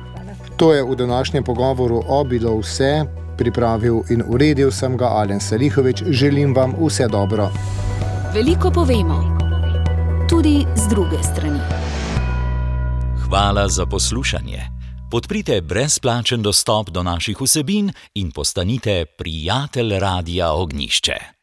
To je v današnjem pogovoru o bilo vse. Pripravil in uredil sem ga Alen Salihovič. Želim vam vse dobro. Veliko povemo. Tudi z druge strani. Hvala za poslušanje. Podprite brezplačen dostop do naših vsebin in postanite prijatelj Radia Ognjišče.